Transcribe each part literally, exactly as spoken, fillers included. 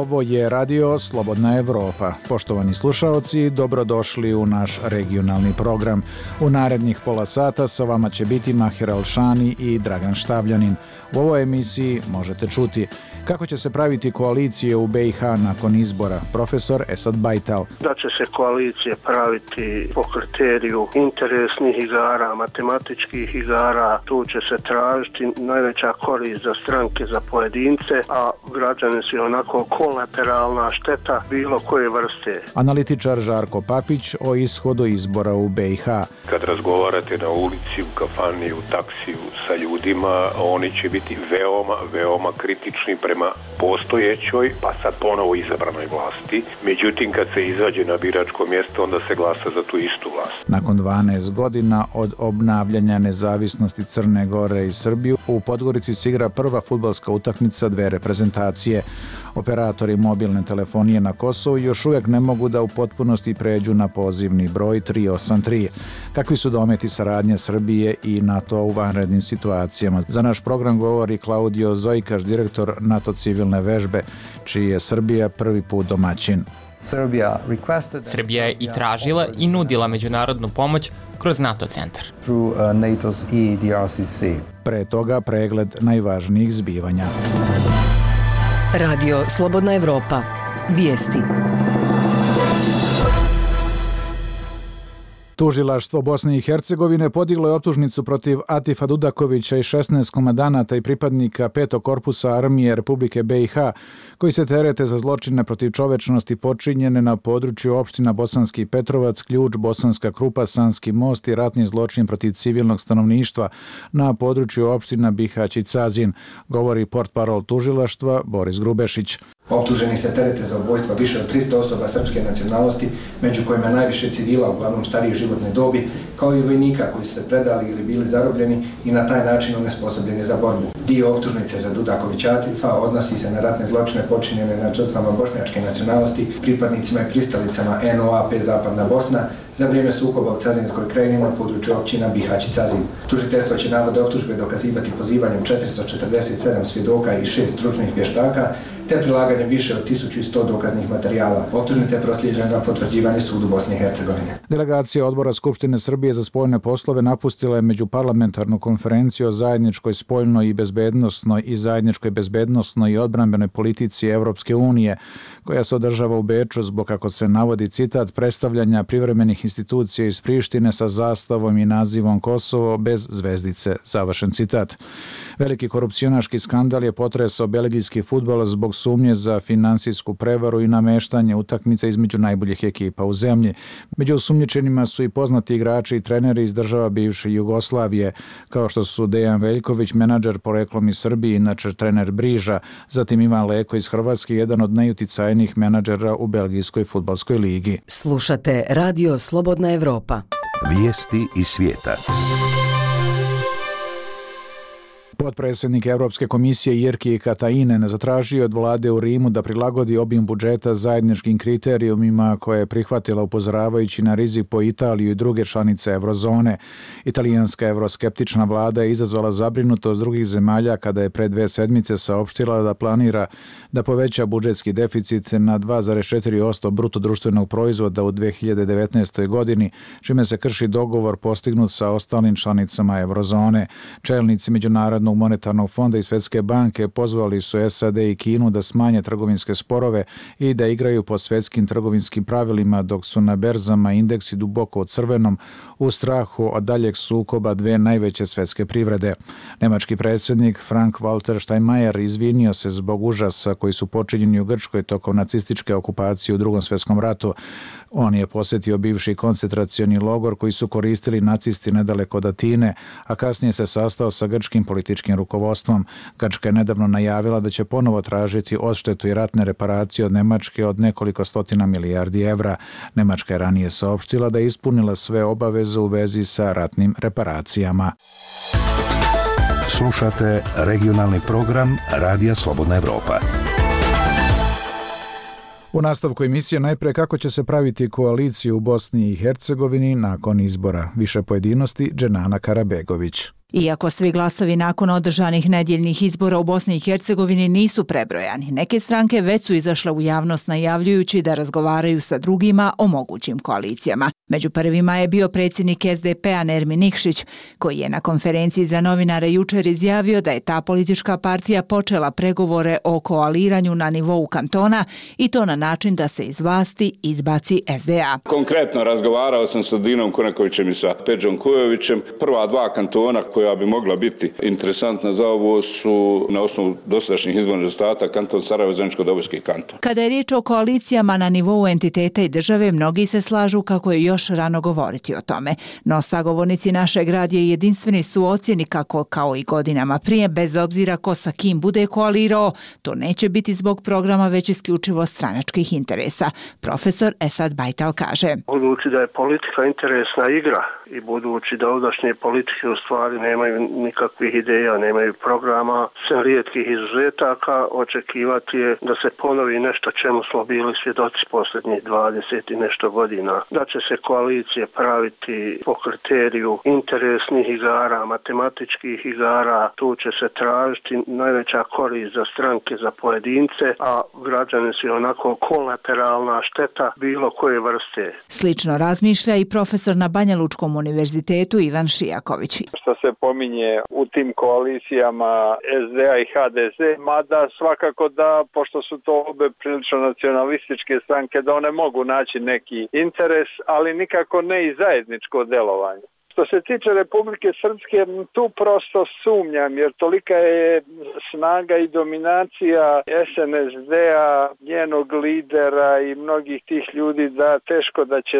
Ovo je Radio Slobodna Evropa. Poštovani slušaoci, dobrodošli u naš regionalni program. U narednih pola sata sa vama će biti Mahir Alšani i Dragan Štavljanin. U ovoj emisiji možete čuti kako će se praviti koalicije u B i H nakon izbora, profesor Esad Bajtal. Da će se koalicije praviti po kriteriju interesnih igara, matematičkih igara, tu će se tražiti najveća korist za stranke, za pojedince, a građani su onako kolateralna šteta bilo koje vrste. Analitičar Žarko Papić o ishodu izbora u B i H. Kad razgovarate na ulici, u kafani, u taksiju sa ljudima, oni će biti veoma, veoma kritični prema postojećoj, pa sad ponovo izabranoj vlasti. Međutim, kad se izađe na biračko mjesto, onda se glasa za tu istu vlast. Nakon dvanaest godina od obnavljanja nezavisnosti Crne Gore i Srbije, u Podgorici se igra prva fudbalska utakmica dve reprezentacije. Operatori mobilne telefonije na Kosovu još uvijek ne mogu da u potpunosti pređu na pozivni broj tri osam tri. Kakvi su dometi saradnje Srbije i NATO u vanrednim situacijama? Za naš program govori Klaudio Zojkaš, direktor NATO civilne vežbe, čiji je Srbija prvi put domaćin. Srbija je i tražila i nudila međunarodnu pomoć kroz NATO centar. Pre toga pregled najvažnijih zbivanja. Radio Slobodna Evropa. Vijesti. Tužilaštvo Bosne i Hercegovine podiglo je optužnicu protiv Atifa Dudakovića i šesnaest komandanata i pripadnika petog korpusa armije Republike B i H, koji se terete za zločine protiv čovečnosti počinjene na području opština Bosanski Petrovac, Ključ, Bosanska Krupa, Sanski most i ratni zločin protiv civilnog stanovništva na području opština Bihać i Cazin, govori portparol tužilaštva Boris Grubešić. Optuženi se terete za ubojstva više od tristo osoba srpske nacionalnosti, među kojima najviše civila, uglavnom starije životne dobi, kao i vojnika koji su se predali ili bili zarobljeni i na taj način onesposobljeni za borbu. Dio optužnice za Dudakovića Atifa odnosi se na ratne zločine počinjene nad žrtvama bošnjačke nacionalnosti, pripadnicima i pristalicama N O A P Zapadna Bosna, za vrijeme sukoba u Cazinskoj krajini na području općina Bihać i Cazin. Tužiteljstvo će navode optužbe dokazivati pozivanjem četiristo četrdeset sedam svjedoka i šest stručnih vještaka, te prilaganje više od tisuću sto dokaznih materijala. Optužnica je proslijeđena na potvrđivanje sudu Bosne i Hercegovine. Delegacija Odbora Skupštine Srbije za spoljne poslove napustila je međuparlamentarnu konferenciju o zajedničkoj spoljnoj i bezbednosnoj i zajedničkoj bezbednosnoj i odbrambenoj politici Evropske unije, koja se održava u Beču zbog, kako se navodi citat, predstavljanja privremenih institucija iz Prištine sa zastavom i nazivom Kosovo bez zvezdice, završen citat. Veliki korupcionaški skandal je potresao belgijski fudbal zbog sumnje za finansijsku prevaru i nameštanje utakmica između najboljih ekipa u zemlji. Među osumnjičenima su i poznati igrači i treneri iz država bivše Jugoslavije, kao što su Dejan Veljković, menadžer poreklom iz Srbije, inače trener Briža, zatim Ivan Leko iz Hrvatske, jedan od najuticajnijih menadžera u belgijskoj fudbalskoj ligi. Slušate Radio Slobodna Evropa. Vijesti iz svijeta. Potpredsjednik Europske komisije Jyrki Katainen zatražio od vlade u Rimu da prilagodi obim budžeta zajedničkim kriterijumima koje je prihvatila upozoravajući na rizik po Italiju i druge članice eurozone. Italijanska euroskeptična vlada je izazvala zabrinutost drugih zemalja kada je pre dve sedmice saopštila da planira da poveća budžetski deficit na dva zarez četiri posto bruto društvenog proizvoda u dve hiljade devetnaestoj godini, čime se krši dogovor postignut sa ostalim članicama eurozone. Čelnici Međunarodnog monetarnog fonda i Svjetske banke pozvali su S A D i Kinu da smanje trgovinske sporove i da igraju po svjetskim trgovinskim pravilima, dok su na berzama indeksi duboko u crvenom u strahu od daljeg sukoba dve najveće svjetske privrede. Nemački predsjednik Frank-Walter Steinmeier izvinio se zbog užasa koji su počinjeni u Grčkoj tokom nacističke okupacije u Drugom svjetskom ratu. On je posjetio bivši koncentracioni logor koji su koristili nacisti nedaleko od Atine, a kasnije se sastao sa grčkim političkim rukovodstvom. Grčka je nedavno najavila da će ponovo tražiti odštetu i ratne reparacije od Nemačke od nekoliko stotina milijardi evra. Nemačka je ranije saopštila da je ispunila sve obaveze u vezi sa ratnim reparacijama. Slušate regionalni program Radija Slobodna Evropa. U nastavku emisije najpre kako će se praviti koalicija u Bosni i Hercegovini nakon izbora. Više pojedinosti Dženana Karabegović. Iako svi glasovi nakon održanih nedjeljnih izbora u Bosni i Hercegovini nisu prebrojani, neke stranke već su izašle u javnost najavljujući da razgovaraju sa drugima o mogućim koalicijama. Među prvima je bio predsjednik es de pe-a Nermin Nikšić, koji je na konferenciji za novinare jučer izjavio da je ta politička partija počela pregovore o koaliranju na nivou kantona i to na način da se iz vlasti izbaci es de a. Konkretno razgovarao sam sa Dinom Kunekovićem i sa Peđom Kujovićem. Prva dva kantona koja bi mogla biti interesantna za ovo su na osnovu dosadašnjih izbornih rezultata kanton Sarajevo, Zeničko-Dobojski kanton. Kada je riječ o koalicijama na nivou entiteta i države, mnogi se slažu kako je još rano govoriti o tome. No sagovornici našeg radija jedinstveni su u ocjeni kako, kao i godinama prije, bez obzira ko sa kim bude koalirao, to neće biti zbog programa već isključivo stranačkih interesa. Profesor Esad Bajtal kaže: Budući da je politika interesna igra i budući da ovdašnje politike u stvari nemaju nikakvih ideja, nemaju programa, sem rijetkih izuzetaka, očekivati je da se ponovi nešto čemu smo bili svjedoci posljednjih dvadeset i nešto godina. Da će se koalicije praviti po kriteriju interesnih igara, matematičkih igara, tu će se tražiti najveća korist za stranke, za pojedince, a građani su onako kolateralna šteta bilo koje vrste. Slično razmišlja i profesor na Banja Lučkom univerzitetu Ivan Šijaković. Što se pominje u tim koalicijama es de a i ha de ze, mada svakako da, pošto su to obe prilično nacionalističke stranke, da one mogu naći neki interes, ali nikako ne i zajedničko delovanje. Što se tiče Republike Srpske, tu prosto sumnjam, jer tolika je snaga i dominacija es en es de-a, njenog lidera i mnogih tih ljudi da teško da će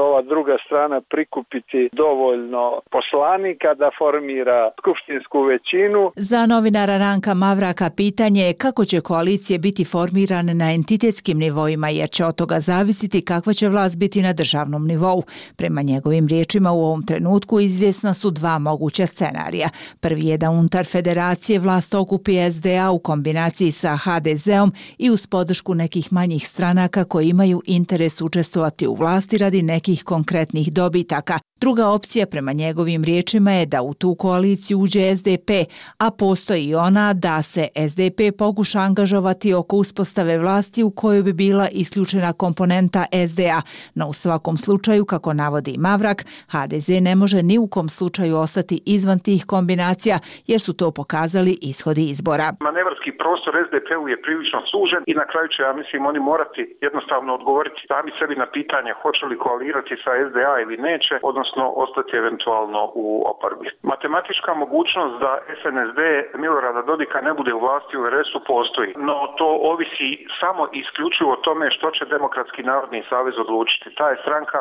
ova druga strana prikupiti dovoljno poslanika da formira skupštinsku većinu. Za novinara Ranka Mavraka pitanje je kako će koalicije biti formirane na entitetskim nivoima, jer će od toga zavisiti kakva će vlast biti na državnom nivou. Prema njegovim riječima u ovom trenutku izvjesna su dva moguća scenarija. Prvi je da unutar federacije vlast okupi es de a u kombinaciji sa ha de ze-om i uz podršku nekih manjih stranaka koji imaju interes učestvovati u vlasti radi nekih konkretnih dobitaka. Druga opcija prema njegovim riječima je da u tu koaliciju uđe es de pe, a postoji i ona da se es de pe pokuša angažovati oko uspostave vlasti u kojoj bi bila isključena komponenta es de a, no u svakom slučaju, kako navodi Mavrak, ha de ze ne može ni u kom slučaju ostati izvan tih kombinacija, jer su to pokazali ishodi izbora. Manevarski prostor es de pe-u je prilično sužen i na kraju će, ja mislim, oni morati jednostavno odgovoriti sami sebi na pitanje hoće li koalirati sa es de a ili neće, odnosno ostati eventualno u oporbi. Matematička mogućnost da es en es de Milorada Dodika ne bude u vlasti u er es-u postoji, no to ovisi samo i isključivo o tome što će Demokratski narodni savez odlučiti. Ta je stranka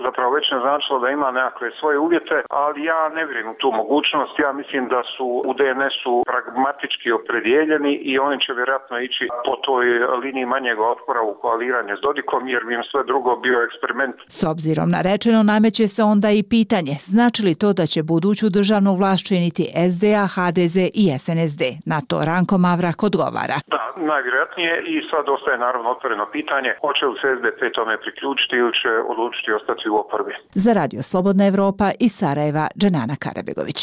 zapravo već naznačila da ima nekakve svoje uvjete, ali ja ne vjerujem u tu mogućnost. Ja mislim da su u de en es-u pragmatički opredijeljeni i oni će vjerojatno ići po toj liniji manjeg otpora u koaliranje s Dodikom, jer bi im sve drugo bio eksperiment. S obzirom na rečeno, nameće se onda i pitanje, znači li to da će buduću državnu vlast činiti es de a, ha de ze i es en es de? Na to Ranko Mavrak odgovara. Da, najvjerojatnije, i sad ostaje naravno otvoreno pitanje, hoće li se es de pe tome priključiti ili će odlučiti ostati u oporbi. Za Radio Slobodna Evropa iz Sarajeva, Dženana Karabegović.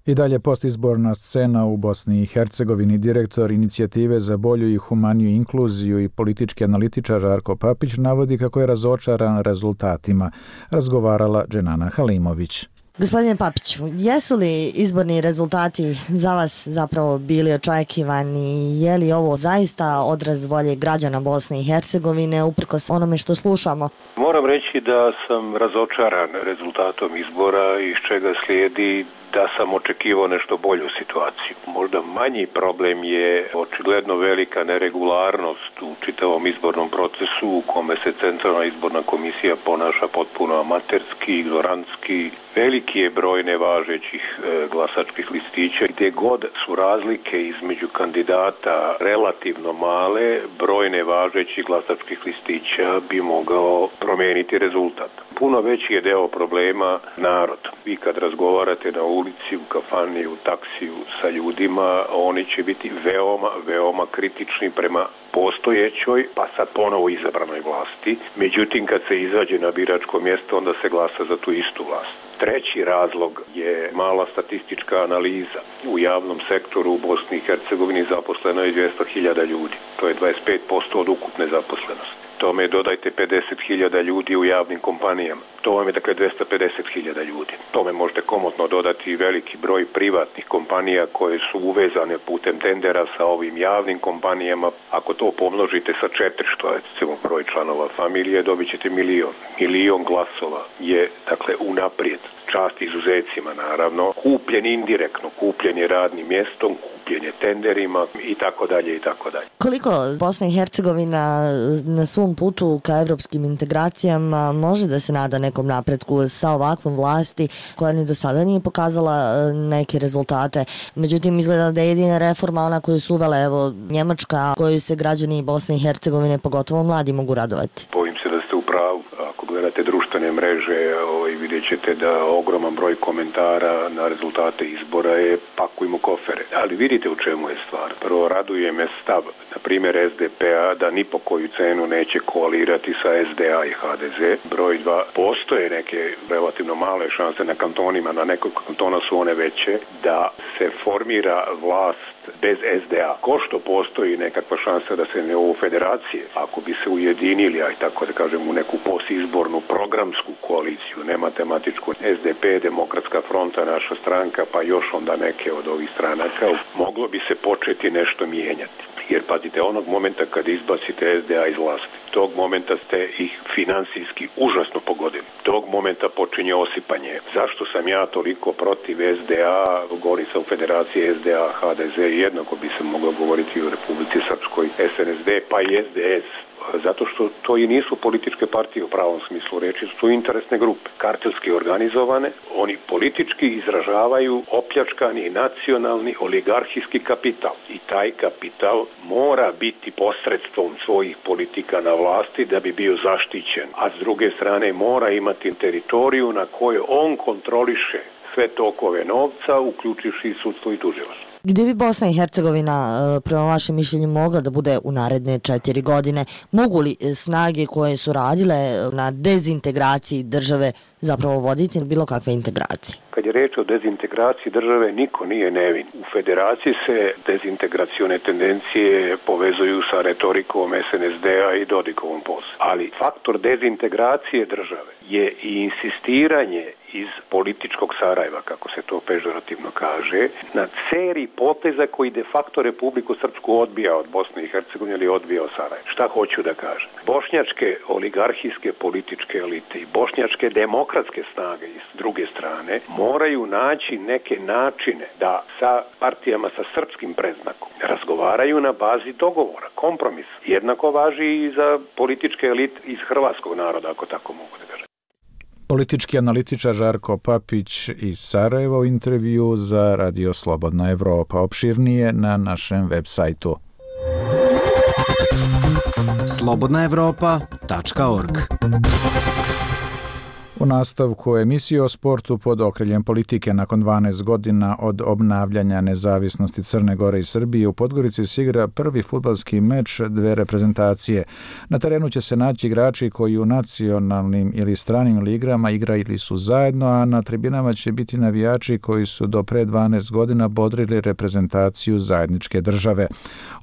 I dalje postizborna scena u Bosni i Hercegovini. Direktor inicijative za bolju i humaniju inkluziju i politički analitičar Žarko Papić navodi kako je razočaran rezultatima. Razgovarala Dženana Halimović. Gospodine Papiću, jesu li izborni rezultati za vas zapravo bili očekivani? Je li ovo zaista odraz volje građana Bosne i Hercegovine uprkos onome što slušamo? Moram reći da sam razočaran rezultatom izbora, iz čega slijedi da sam očekivao nešto bolju situaciju. Možda manji problem je očigledno velika neregularnost u čitavom izbornom procesu u kome se Centralna izborna komisija ponaša potpuno amaterski, ignorantski. Veliki je broj nevažećih e, glasačkih listića. Gdje god su razlike između kandidata relativno male, broj nevažećih glasačkih listića bi mogao promijeniti rezultat. Puno veći je deo problema narod. Vi kad razgovarate na ulici, u kafani, u taksiju sa ljudima, oni će biti veoma, veoma kritični prema postojećoj, pa sad ponovo izabranoj vlasti. Međutim, kad se izađe na biračko mjesto, onda se glasa za tu istu vlast. Treći razlog je mala statistička analiza. U javnom sektoru u Bosni i Hercegovini zaposleno je dvjesto hiljada ljudi. To je dvadeset pet posto od ukupne zaposlenosti. Tome dodajte pedeset hiljada ljudi u javnim kompanijama. To vam je dakle dvjesto pedeset hiljada ljudi. Tome možete komotno dodati i veliki broj privatnih kompanija koje su uvezane putem tendera sa ovim javnim kompanijama. Ako to pomnožite sa četiri, što je recimo broj članova familije, dobit ćete milion. Milion glasova je dakle unaprijed. Čast izuzecima naravno, kupljen indirektno, kupljen je radnim mjestom, kupljen je tenderima i tako dalje i tako dalje. Koliko Bosna i Hercegovina na svom putu ka evropskim integracijama može da se nada nekom napretku sa ovakvom vlasti koja ni do sada nije pokazala neke rezultate? Međutim, izgleda da je jedina reforma ona koju su uvele, evo, Njemačka, koju se građani Bosne i Hercegovine, pogotovo mladi, mogu radovati. Bojim se da ste u pravu. Ako gledate društvene mreže, ovaj, vidjet ćete da ogroman broj komentara na rezultate izbora je pakujmo kofere. Ali vidite u čemu je stvar. Prvo, raduje me stav, na primjer S D P-a, da ni po koju cenu neće koalirati sa S D A i H D Z. Broj dva, postoje neke relativno male šanse na kantonima, na nekog kantona su one veće, da se formira vlast bez S D A. Ko što postoji nekakva šansa da se ne u federacije, ako bi se ujedinili, aj tako da kažem, u neku posizbornu programsku koaliciju, ne matematičku, S D P, Demokratska fronta, naša stranka, pa još onda neke od ovih stranaka, moglo bi se početi nešto mijenjati. Jer pazite, onog momenta kad izbacite S D A iz vlasti, tog momenta ste ih finansijski užasno pogodili. Tog momenta počinje osipanje. Zašto sam ja toliko protiv S D A, govori se u federaciji S D A, H D Z, jednako bi se moglo govoriti o Republici Srpskoj, S N S D, pa i S D S. Zato što to i nisu političke partije u pravom smislu reči, su interesne grupe, kartelski organizovane, oni politički izražavaju opljačkani nacionalni oligarhijski kapital i taj kapital mora biti posredstvom svojih politika na vlasti da bi bio zaštićen, a s druge strane mora imati teritoriju na kojoj on kontroliše sve tokove novca, uključivši sudstvo i tužilaštvo. Gdje bi Bosna i Hercegovina, prema vašem mišljenju, mogla da bude u naredne četiri godine? Mogu li snage koje su radile na dezintegraciji države zapravo voditi bilo kakve integracije? Kad je reč o dezintegraciji države, niko nije nevin. U federaciji se dezintegracione tendencije povezuju sa retorikom S N S D-a i Dodikovom poslu. Ali faktor dezintegracije države je i insistiranje iz političkog Sarajeva, kako se to pežorativno kaže, na seriji poteza koji de facto Republiku Srpsku odbija od Bosne i Hercegovine ili odbija od Sarajeva. Šta hoću da kažem? Bošnjačke oligarhijske političke elite i bošnjačke demokratske snage s druge strane moraju naći neke načine da sa partijama sa srpskim predznakom razgovaraju na bazi dogovora, kompromis. Jednako važi i za političke elite iz hrvatskog naroda, ako tako mogu da kažem. Politički analitičar Žarko Papić iz Sarajeva u intervju za Radio Slobodna Evropa. Opširnije na našem web sajtu. slobodna evropa tačka org. U nastavku emisije o sportu pod okriljem politike, nakon dvanaest godina od obnavljanja nezavisnosti Crne Gore i Srbije, u Podgorici se igra prvi fudbalski meč dve reprezentacije. Na terenu će se naći igrači koji u nacionalnim ili stranim ligrama igrali su zajedno, a na tribinama će biti navijači koji su do pre dvanaest godina bodrili reprezentaciju zajedničke države.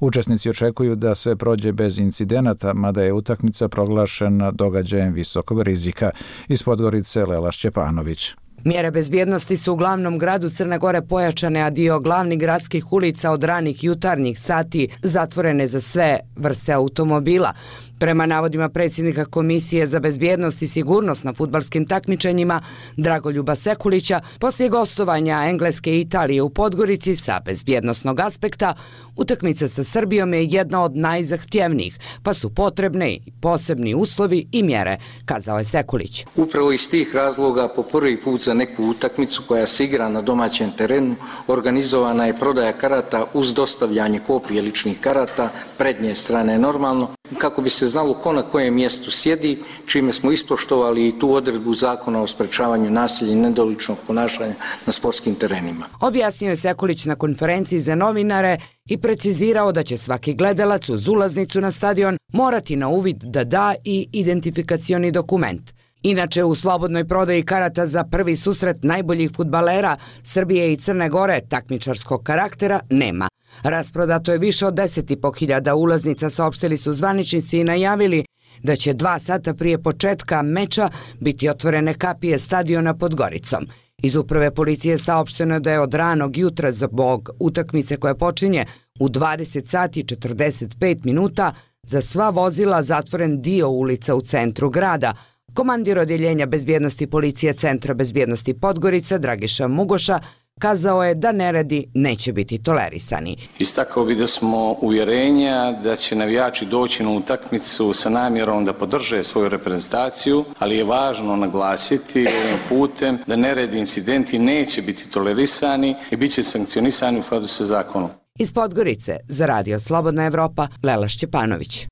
Učesnici očekuju da sve prođe bez incidenata, mada je utakmica proglašena događajem visokog rizika. Iz Podgorice Lela Šćepanović. Mjere bezbjednosti su u glavnom gradu Crne Gore pojačane, a dio glavnih gradskih ulica od ranih jutarnjih sati zatvorene za sve vrste automobila. Prema navodima predsjednika Komisije za bezbjednost i sigurnost na fudbalskim takmičenjima Dragoljuba Sekulića, poslije gostovanja Engleske i Italije u Podgorici sa bezbjednosnog aspekta, utakmica sa Srbijom je jedna od najzahtjevnijih, pa su potrebne i posebni uslovi i mjere, kazao je Sekulić. Upravo iz tih razloga po prvi put za neku utakmicu koja se igra na domaćem terenu organizovana je prodaja karata uz dostavljanje kopije ličnih karata, prednje strane normalno, kako bi se znalo ko na kojem mjestu sjedi, čime smo ispoštovali i tu odredbu zakona o sprečavanju nasilja i nedoličnog ponašanja na sportskim terenima. Objasnio je Sekulić na konferenciji za novinare i precizirao da će svaki gledalac uz ulaznicu na stadion morati na uvid da da i identifikacioni dokument. Inače, u slobodnoj prodaji karata za prvi susret najboljih fudbalera Srbije i Crne Gore takmičarskog karaktera nema. Rasprodato je više od deset i po hiljada ulaznica, saopštili su zvaničnici i najavili da će dva sata prije početka meča biti otvorene kapije stadiona pod Goricom. Iz uprave policije saopšteno je da je od ranog jutra zbog utakmice koja počinje u dvadeset sati i četrdeset pet minuta za sva vozila zatvoren dio ulica u centru grada. Komandir odjeljenja bezbjednosti policije Centra bezbjednosti Podgorica Dragiša Mugoša kazao je da neredi neće biti tolerisani. Istakao bi da smo uvjerenja da će navijači doći na utakmicu sa namjerom da podrže svoju reprezentaciju, ali je važno naglasiti ovim putem da neredi incidenti neće biti tolerisani i bit će sankcionisani u skladu sa zakonom. Iz Podgorice za Radio Slobodna Evropa Lela Šćepanović.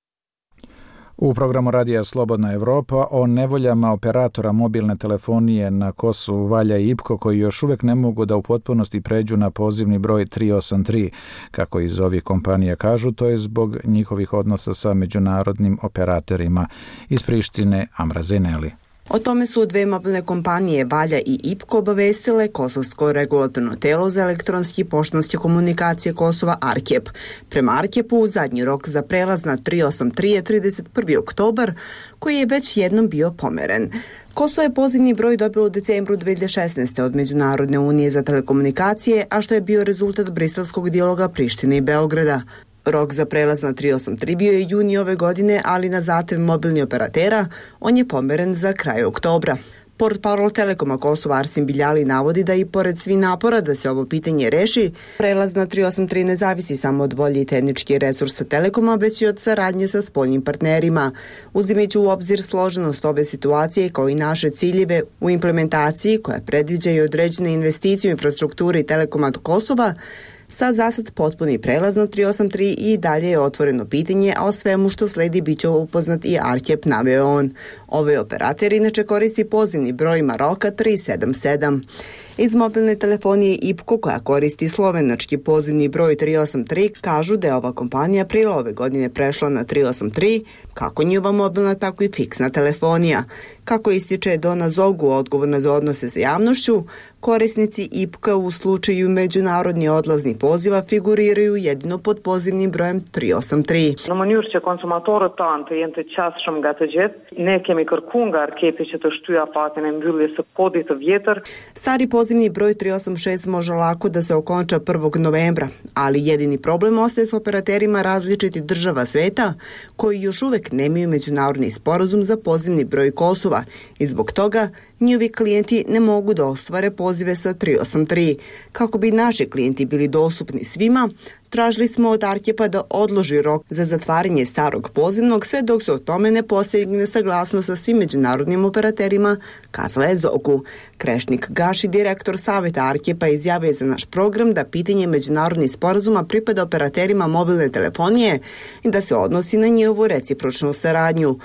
U programu Radija Slobodna Evropa o nevoljama operatora mobilne telefonije na Kosovu valja i I P K O koji još uvijek ne mogu da u potpunosti pređu na pozivni broj tri osam tri. Kako iz ovih kompanija kažu, to je zbog njihovih odnosa sa međunarodnim operatorima. Iz Prištine Amra Zeneli. O tome su dve mobilne kompanije Valja i I P K O obavestile Kosovsko regulatorno telo za elektronske i poštanske komunikacije Kosova Arkep. Prema Arkepu, zadnji rok za prelaz na tri osam tri je trideset prvi oktobar, koji je već jednom bio pomeren. Kosovo je pozivni broj dobilo u decembru dve hiljade šesnaeste. od Međunarodne unije za telekomunikacije, a što je bio rezultat briselskog dijaloga Prištine i Beograda. Rok za prelaz na tri osam tri bio je juni ove godine, ali na zahtev mobilnih operatera on je pomeren za kraj oktobra. Portparol Telekoma Kosova Arsim Biljali navodi da i pored svih napora da se ovo pitanje reši, prelaz na tri osam tri ne zavisi samo od volje i tehničkih resursa Telekoma, već i od saradnje sa spoljnim partnerima. Uzimajući u obzir složenost ove situacije kao i naše ciljeve u implementaciji koja predviđa i određene investicije u infrastrukturi Telekoma Kosova, sad zasad potpuni prelaz na tri osam tri i dalje je otvoreno pitanje, a o svemu što sledi bit će upoznat i Arkep, naveo on. Ovaj operator inače koristi pozivni broj Maroka tri sedam sedam. Iz mobilne telefonije I P K O koja koristi slovenački pozivni broj tri osam tri kažu da je ova kompanija aprila ove godine prešla na tri osam tri, kako njihova mobilna, tako i fiksna telefonija. Kako ističe Dona Zogu, odgovorna za odnose sa javnošću, korisnici I P K u slučaju međunarodni odlazni poziva figuriraju jedino pod pozivnim brojem tri osam tri. Në mënyrë që konsumatorët tanë të jenë të qasshëm nga të gjithë, ne kemi kërkuar nga Arkepi që të shtyja fatin e mbylljes së kodit të vjetër. Stari pozivni broj tri osam šest može lako da se okonča prvog novembra, ali jedini problem ostaje s operaterima različitih država sveta koji još uvek nemaju međunarodni sporazum za pozivni broj Kosova i zbog toga njihovi klijenti ne mogu da ostvare pozive sa tri osam tri. Kako bi naši klijenti bili dostupni svima, tražili smo od Arkepa da odloži rok za zatvaranje starog pozivnog sve dok se o tome ne postigne saglasnost sa svim međunarodnim operaterima, kazala je Zogu. Krešnik Gaši, direktor savjeta Arkepa, izjavio za naš program da pitanje međunarodnih sporazuma pripada operaterima mobilne telefonije i da se odnosi na njihovu recipročnu saradnju.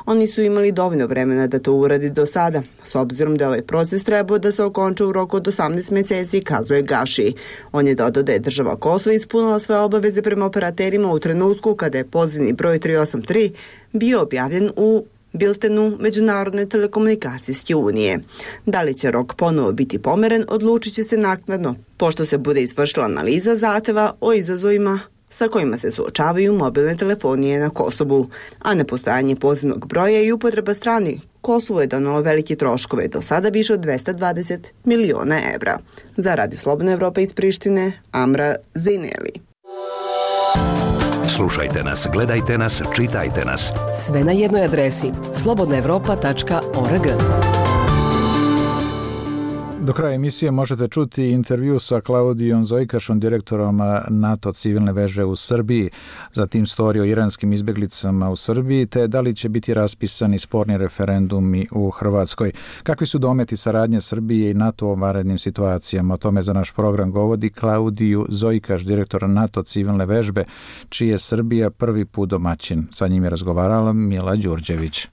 Oni su imali dovoljno vremena da to uradi do sada, s obzirom da ovaj proces trebao da se okonča u roku od osamnaest mjeseci, kazuje Gaši. On je dodao da je država Kosova ispunila svoje obaveze prema operaterima u trenutku kada je pozivni broj tri osam tri bio objavljen u biltenu Međunarodne telekomunikacijske unije. Da li će rok ponovo biti pomeren, odlučit će se naknadno, pošto se bude izvršila analiza zahteva o izazovima sa kojima se suočavaju mobilne telefonije na Kosovu, a nepostojanje pozivnog broja i upotreba strani Kosovo je donalo velike troškove, do sada više od dvesta dvadeset miliona evra. Za Radio Slobodna Evropa iz Prištine, Amra Zineli. Slušajte nas, gledajte nas, čitajte nas. Sve na jednoj adresi slobodna evropa tačka org. Do kraja emisije možete čuti intervju sa Klaudijom Zojkašom, direktorom NATO civilne veže u Srbiji, zatim storij o iranskim izbjeglicama u Srbiji, te da li će biti raspisani sporni referendumi u Hrvatskoj. Kakvi su dometi saradnje Srbije i NATO u vanrednim situacijama? O tome za naš program govori Klaudiju Zojkaš, direktor NATO civilne vežbe, čiji je Srbija prvi put domaćin. Sa njim je razgovarala Mila Đurđević.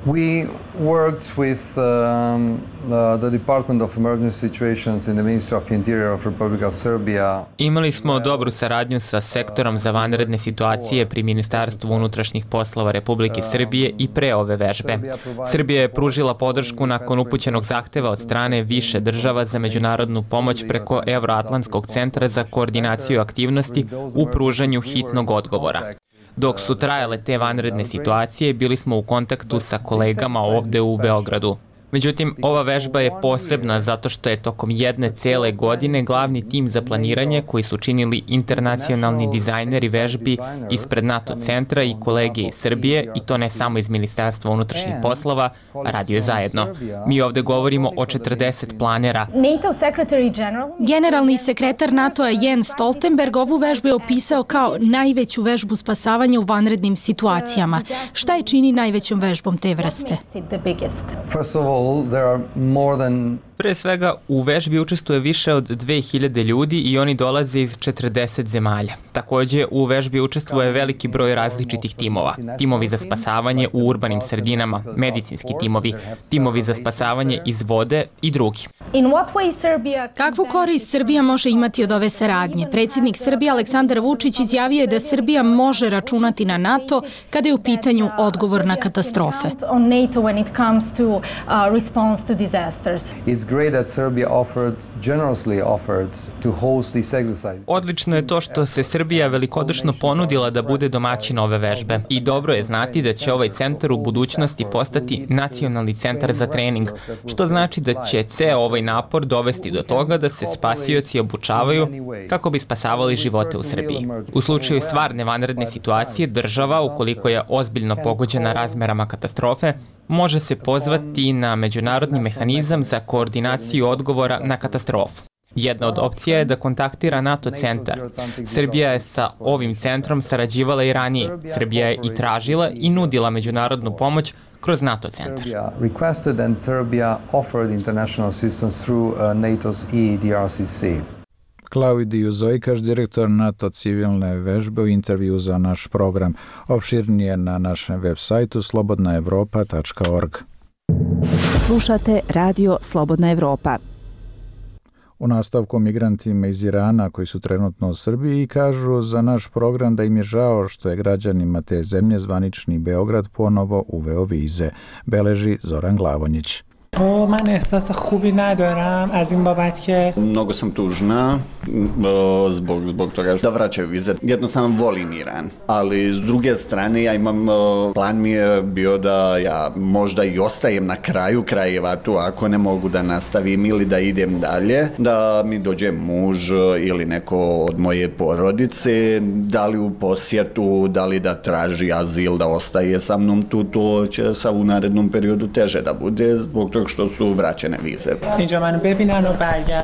We worked with um, uh, the Department of Emergency Situations in the Ministry of Interior of Republic of Serbia. Imali smo dobru saradnju sa sektorom za vanredne situacije pri Ministarstvu unutrašnjih poslova Republike Srbije i pre ove vežbe. Srbija je pružila podršku nakon upućenog zahteva od strane više država za međunarodnu pomoć preko Evroatlantskog centra za koordinaciju aktivnosti u pružanju hitnog odgovora. Dok su trajale te vanredne situacije, bili smo u kontaktu sa kolegama ovde u Beogradu. Međutim, ova vežba je posebna zato što je tokom jedne cele godine glavni tim za planiranje koji su činili internacionalni dizajneri vežbi ispred NATO centra i kolege iz Srbije, i to ne samo iz Ministarstva unutrašnjih poslova, radio zajedno. Mi ovde govorimo o četrdeset planera. Generalni sekretar NATO-a Jens Stoltenberg ovu vežbu je opisao kao najveću vežbu spasavanja u vanrednim situacijama. Šta je čini najvećom vežbom te vrste? There are more than Pre svega, u vežbi učestvuje više od dve hiljade ljudi i oni dolaze iz četrdeset zemalja. Takođe, u vežbi učestvuje veliki broj različitih timova. Timovi za spasavanje u urbanim sredinama, medicinski timovi, timovi za spasavanje iz vode i drugi. Kakvu korist Srbija može imati od ove saradnje? Predsjednik Srbije Aleksandar Vučić izjavio je da Srbija može računati na NATO kada je u pitanju odgovor na katastrofe. great that Serbia offered, generously offered to host these exercises. Odlično je to što se Srbija velikodušno ponudila da bude domaćin ove vežbe i dobro je znati da će ovaj centar u budućnosti postati nacionalni centar za trening, što znači da će ceo ovaj napor dovesti do toga da se spasioci obučavaju kako bi spasavali živote u Srbiji. U slučaju stvarne vanredne situacije, država, ukoliko je ozbiljno pogođena razmerama katastrofe, može se pozvati na međunarodni mehanizam za koordinaciju odgovora na katastrofu. Jedna od opcija je da kontaktira NATO centar. Srbija je sa ovim centrom sarađivala i ranije. Srbija je i tražila i nudila međunarodnu pomoć kroz NATO centar. Requested and Serbia offered international assistance through NATO's E D R C C. Klaudiju Zojkaš, direktor NATO civilne vežbe, u intervju za naš program. Opširnije na našem web sajtu slobodna evropa tačka org. Slušate Radio Slobodna Evropa. U nastavku migrantima iz Irana koji su trenutno u Srbiji kažu za naš program da im je žao što je građanima te zemlje zvanični Beograd ponovo uveo vize, beleži Zoran Glavonjić. من احساس خوبی ندارم از این بابت که mnogo sam tužna zbog zbog toga da vraćaju vize. Jednostavno volim Iran, ali s druge strane ja imam plan mi je bio da ja možda i ostajem na kraju krajeva tu ako ne mogu da nastavim ili da idem dalje, da mi dođe muž ili neko od moje porodice, da li u posjetu, da li da traži azil, da ostaje sa mnom tu, to će sa u narednom periodu teže da bude zbog toga što su vraćene vize.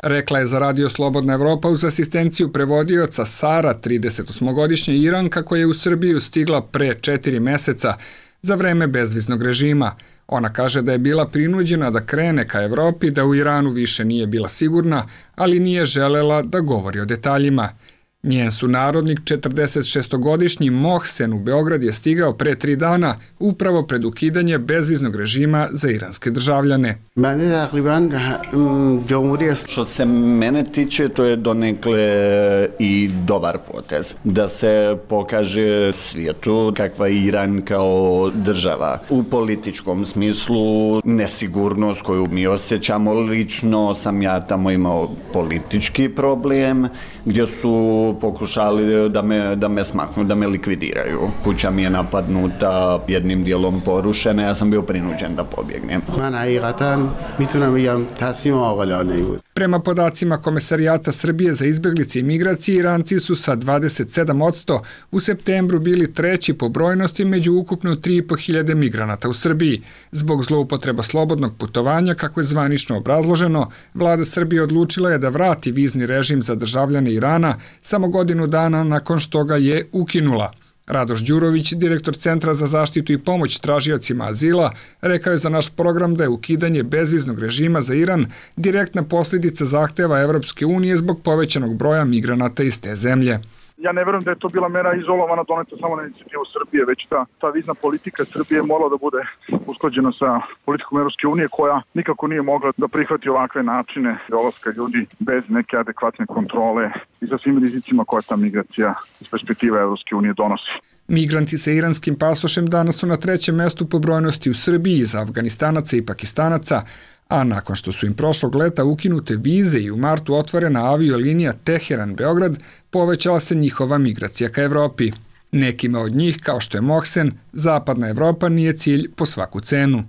Rekla je za Radio Slobodna Evropa uz asistenciju prevodioca Sara, tridesetosmogodišnja Iranka koja je u Srbiju stigla pre četiri meseca za vreme bezviznog režima. Ona kaže da je bila prinuđena da krene ka Evropi, da u Iranu više nije bila sigurna, ali nije želela da govori o detaljima. Njen sunarodnik, četrdesetšestogodišnji Mohsen, u Beograd je stigao pre tri dana upravo pred ukidanje bezviznog režima za iranske državljane. Što se mene tiče, to je donekle i dobar potez. Da se pokaže svijetu kakva je Iran kao država. U političkom smislu nesigurnost koju mi osjećamo, lično sam ja tamo imao politički problem gdje su pokušali da me, da me smaknu, da me likvidiraju. Kuća mi je napadnuta, jednim dijelom porušena, ja sam bio prinuđen da pobjegnem. Prema podacima Komesarijata Srbije za izbjeglice i migracije, Iranci su sa dvadeset sedam posto u septembru bili treći po brojnosti među ukupno tri i po hiljade migranata u Srbiji. Zbog zloupotreba slobodnog putovanja, kako je zvanično obrazloženo, vlada Srbije odlučila je da vrati vizni režim za državljane Irana samo godinu dana nakon što ga je ukinula. Radoš Đurović, direktor Centra za zaštitu i pomoć tražiocima azila, rekao je za naš program da je ukidanje bezviznog režima za Iran direktna posljedica zahteva Evropske unije zbog povećanog broja migranata iz te zemlje. Ja ne verujem da je to bila mera izolovana doneta samo na inicijativu Srbije, već ta, ta vizna politika Srbije morala da bude usklađena sa politikom Evropske unije koja nikako nije mogla da prihvati ovakve načine dolaska ljudi bez neke adekvatne kontrole i sa svim rizicima koja ta migracija iz perspektive Evropske unije donosi. Migranti sa iranskim pasošem danas su na trećem mestu po brojnosti u Srbiji iza Afganistanaca i Pakistanaca, a nakon što su im prošlog leta ukinute vize i u martu otvorena aviolinija Teheran-Beograd, povećala se njihova migracija ka Evropi. Nekima od njih, kao što je Mohsen, zapadna Evropa nije cilj po svaku cenu.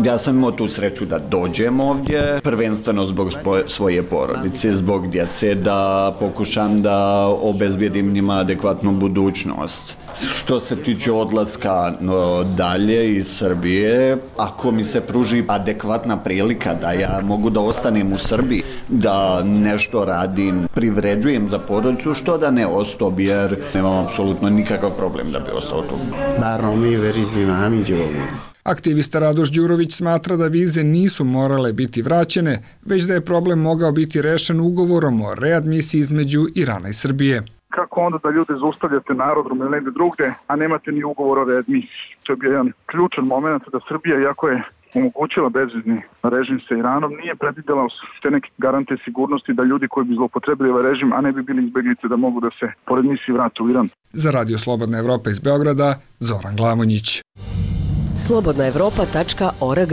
Ja sam imao tu sreću da dođem ovdje, prvenstveno zbog svoje porodice, zbog djece, da pokušam da obezbijedim njima adekvatnu budućnost. Što se tiče odlaska no, dalje iz Srbije, ako mi se pruži adekvatna prilika da ja mogu da ostanem u Srbiji, da nešto radim, privređujem za porodicu, što da ne ostao bi, jer nemam apsolutno nikakav problem da bi ostao tu. Naravno, mi verizimo. Aktivista Radoš Đurović smatra da vize nisu morale biti vraćene, već da je problem mogao biti rešen ugovorom o readmisiji između Irana i Srbije. Kako onda da ljude zaustavljate na aerodromu ili negde drugde, a nemate ni ugovor o readmisiji? To je bio jedan ključan moment da Srbija, iako je omogućila bezvizni režim sa Iranom, nije predvidela te neke garante sigurnosti da ljudi koji bi zloupotrebili ovaj režim, a ne bi bili izbeglice, da mogu da se pored misiji vrate u Iran. Za Radio Slobodna Evropa iz Beograda, Zoran Glavonjić. slobodna evropa tačka org.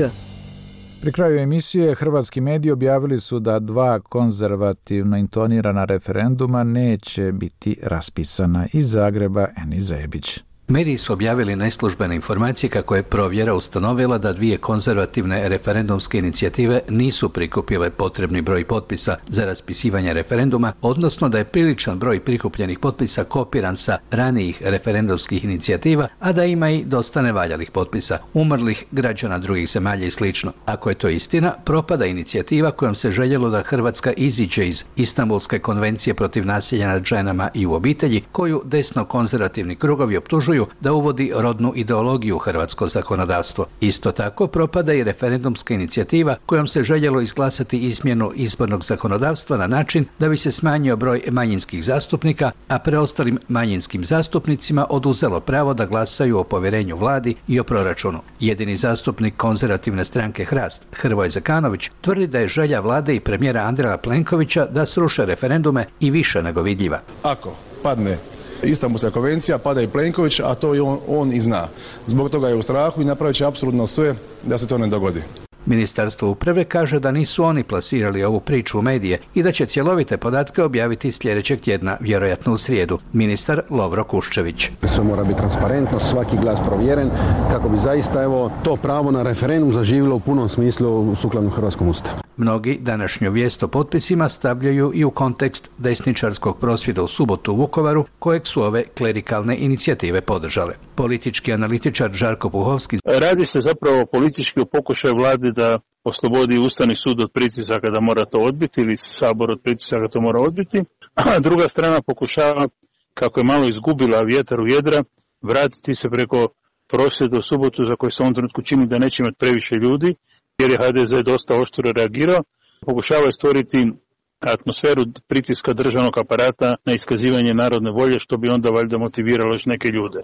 Pri kraju emisije hrvatski mediji objavili su da dva konzervativno intonirana referenduma neće biti raspisana. Iz Zagreba, Eni Zebić. Mediji su objavili neslužbene informacije kako je provjera ustanovila da dvije konzervativne referendumske inicijative nisu prikupile potrebni broj potpisa za raspisivanje referenduma, odnosno da je priličan broj prikupljenih potpisa kopiran sa ranijih referendumskih inicijativa, a da ima i dosta nevaljalih potpisa, umrlih građana drugih zemalja i sl. Ako je to istina, propada inicijativa kojom se željelo da Hrvatska iziđe iz Istanbulske konvencije protiv nasilja nad ženama i u obitelji, koju desno konzervativni krugovi optužuju da uvodi rodnu ideologiju u hrvatsko zakonodavstvo. Isto tako propada i referendumska inicijativa kojom se željelo izglasati izmjenu izbornog zakonodavstva na način da bi se smanjio broj manjinskih zastupnika, a preostalim manjinskim zastupnicima oduzelo pravo da glasaju o povjerenju vladi i o proračunu. Jedini zastupnik konzervativne stranke Hrast, Hrvoje Zekanović, tvrdi da je želja vlade i premijera Andreja Plenkovića da sruše referendume i više nego vidljiva. Ako padne Istanbulska konvencija, pada i Plenković, a to i on, on i zna. Zbog toga je u strahu i napravit će apsolutno sve da se to ne dogodi. Ministarstvo uprave kaže da nisu oni plasirali ovu priču u medije i da će cjelovite podatke objaviti sljedećeg tjedna, vjerojatno u srijedu. Ministar Lovro Kuščević. Sve mora biti transparentno, svaki glas provjeren, kako bi zaista evo to pravo na referendum zaživjelo u punom smislu sukladno hrvatskom ustavu. Mnogi današnju vijest o potpisima stavljaju i u kontekst desničarskog prosvjeda u subotu u Vukovaru, kojeg su ove klerikalne inicijative podržale. Politički analitičar Žarko Puhovski. Radi se zapravo politički o pokušaju vlade da oslobodi Ustavni sud od pritisaka da mora to odbiti ili Sabor od pritisaka to mora odbiti. A druga strana pokušava, kako je malo izgubila vjetar u jedra, vratiti se preko prosvjeda u subotu za koje se u ovom trenutku čini da neće imati previše ljudi, jer je H D Z dosta oštro reagirao. Pokušava stvoriti atmosferu pritiska državnog aparata na iskazivanje narodne volje, što bi onda valjda motiviralo još neke ljude.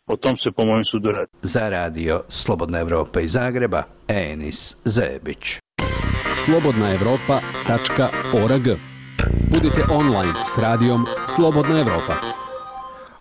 O tom se po mojem sudu radi. Za radio Slobodna Evropa iz Zagreba, Enis Zebić. slobodna evropa tačka org. Budite online s radijom Slobodna Evropa.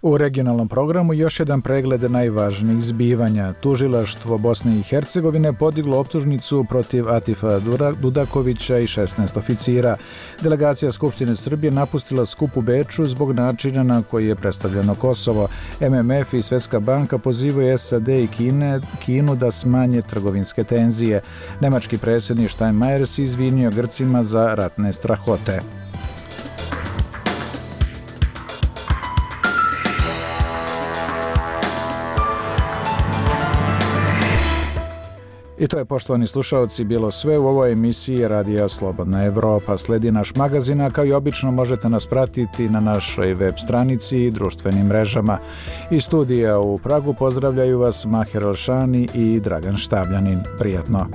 U regionalnom programu još jedan pregled najvažnijih zbivanja. Tužilaštvo Bosne i Hercegovine podiglo optužnicu protiv Atifa Dudakovića i šesnaest oficira. Delegacija Skupštine Srbije napustila skup u Beču zbog načina na koji je predstavljeno Kosovo. M M F i Svjetska banka pozivaju S A D i Kine, Kinu da smanje trgovinske tenzije. Nemački predsjednik Steinmeier se izvinio Grcima za ratne strahote. I to je, poštovani slušalci, bilo sve u ovoj emisiji Radija Slobodna Evropa. Sledi naš magazin, a kao i obično možete nas pratiti na našoj web stranici i društvenim mrežama. Iz studija u Pragu pozdravljaju vas Maher Elšani i Dragan Štavljanin. Prijatno!